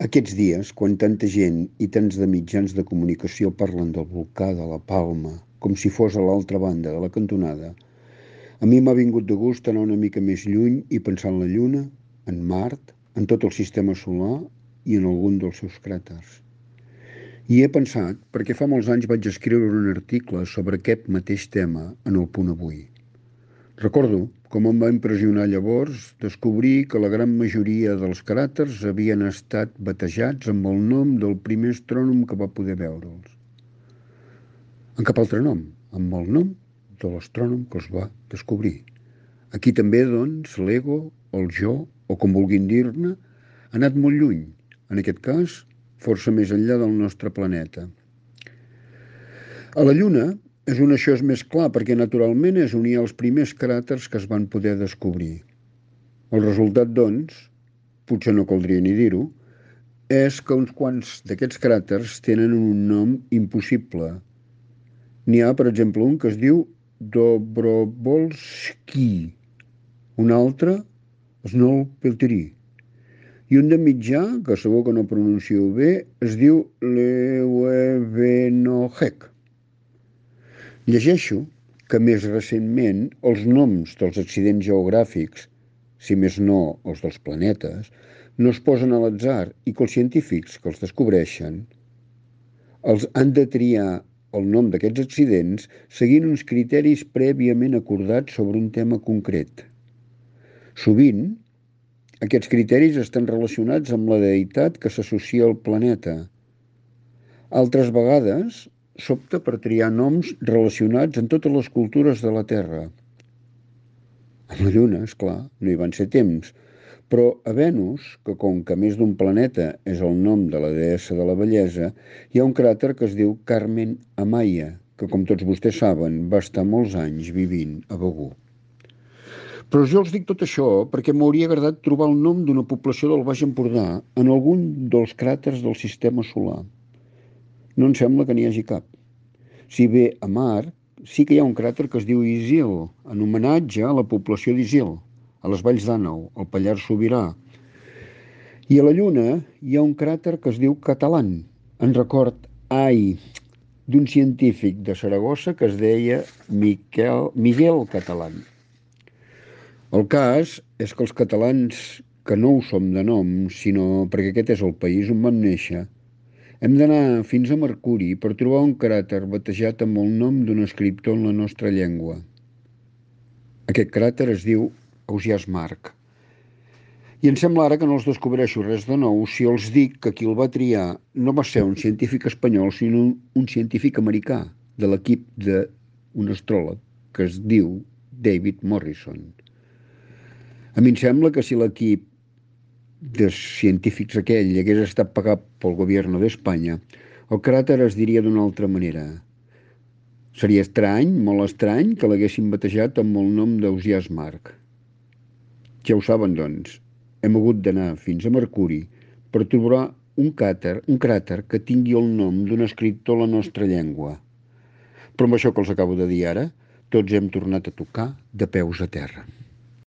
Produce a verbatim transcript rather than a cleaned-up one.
Aquests dies, quan tanta gent i tants de mitjans de comunicació parlen del volcà de la Palma com si fos a l'altra banda de la cantonada, a mi m'ha vingut de gust anar una mica més lluny i pensar en la Lluna, en Mart, en tot el sistema solar i en algun dels seus cràters. I he pensat perquè fa molts anys vaig escriure un article sobre aquest mateix tema en el Punt Avui. Recordo com em va impressionar llavors descobrir que la gran majoria dels cràters havien estat batejats amb el nom del primer astrònom que va poder veure'ls. En cap altre nom, amb el nom de l'astrònom que els va descobrir. Aquí també, doncs, l'ego, el jo, o com vulguin dir-ne, ha anat molt lluny, en aquest cas, força més enllà del nostre planeta. A la Lluna és on això és més clar perquè naturalment és on hi ha els primers cràters que es van poder descobrir. El resultat, doncs, potser no caldria ni dir-ho, és que uns quants d'aquests cràters tenen un nom impossible. N'hi ha, per exemple, un que es diu Dobrovolsky, un altre, Snøhviteri, i un de mitjà, que segur que no pronuncio bé, es diu Leuwenhoek. Llegeixo que més recentment els noms dels accidents geogràfics, si més no els dels planetes, no es posen a l'atzar i que els científics que els descobreixen els han de triar el nom d'aquests accidents seguint uns criteris prèviament acordats sobre un tema concret. Sovint, aquests criteris estan relacionats amb la deïtat que s'associa al planeta. Altres vegades s'opta per triar noms relacionats amb totes les cultures de la Terra. A la Lluna, esclar, no hi van ser temps, però a Venus, que com que més d'un planeta és el nom de la deessa de la bellesa, hi ha un cràter que es diu Carmen Amaya, que com tots vostès saben va estar molts anys vivint a Begur. Però jo els dic tot això perquè m'hauria agradat trobar el nom d'una població del Baix Empordà en algun dels cràters del sistema solar. No em sembla que n'hi hagi cap. Si bé a Mart sí que hi ha un cràter que es diu Isil, en homenatge a la població d'Isil, a les Valls d'Àneu, al Pallars Sobirà. I a la Lluna hi ha un cràter que es diu Catalan, en record, ai, d'un científic de Saragossa que es deia Miquel, Miguel Catalan. El cas és que els catalans, que no ho som de nom, sinó perquè aquest és el país on vam néixer, hem d'anar fins a Mercuri per trobar un cràter batejat amb el nom d'un escriptor en la nostra llengua. Aquest cràter es diu Ausiàs Marc. I em sembla ara que no els descobreixo res de nou si els dic que qui el va triar no va ser un científic espanyol, sinó un científic americà de l'equip d'un astròleg que es diu David Morrison. A mi em sembla que si l'equip de científics aquell hagués estat pagat pel govern d'Espanya, el cràter es diria d'una altra manera. Seria estrany, molt estrany, que l'haguessin batejat amb el nom d'Ausiàs Marc. Ja ho saben, doncs, hem hagut d'anar fins a Mercuri per trobar un cràter, un cràter que tingui el nom d'un escriptor a la nostra llengua. Però amb això que els acabo de dir ara, tots hem tornat a tocar de peus a terra.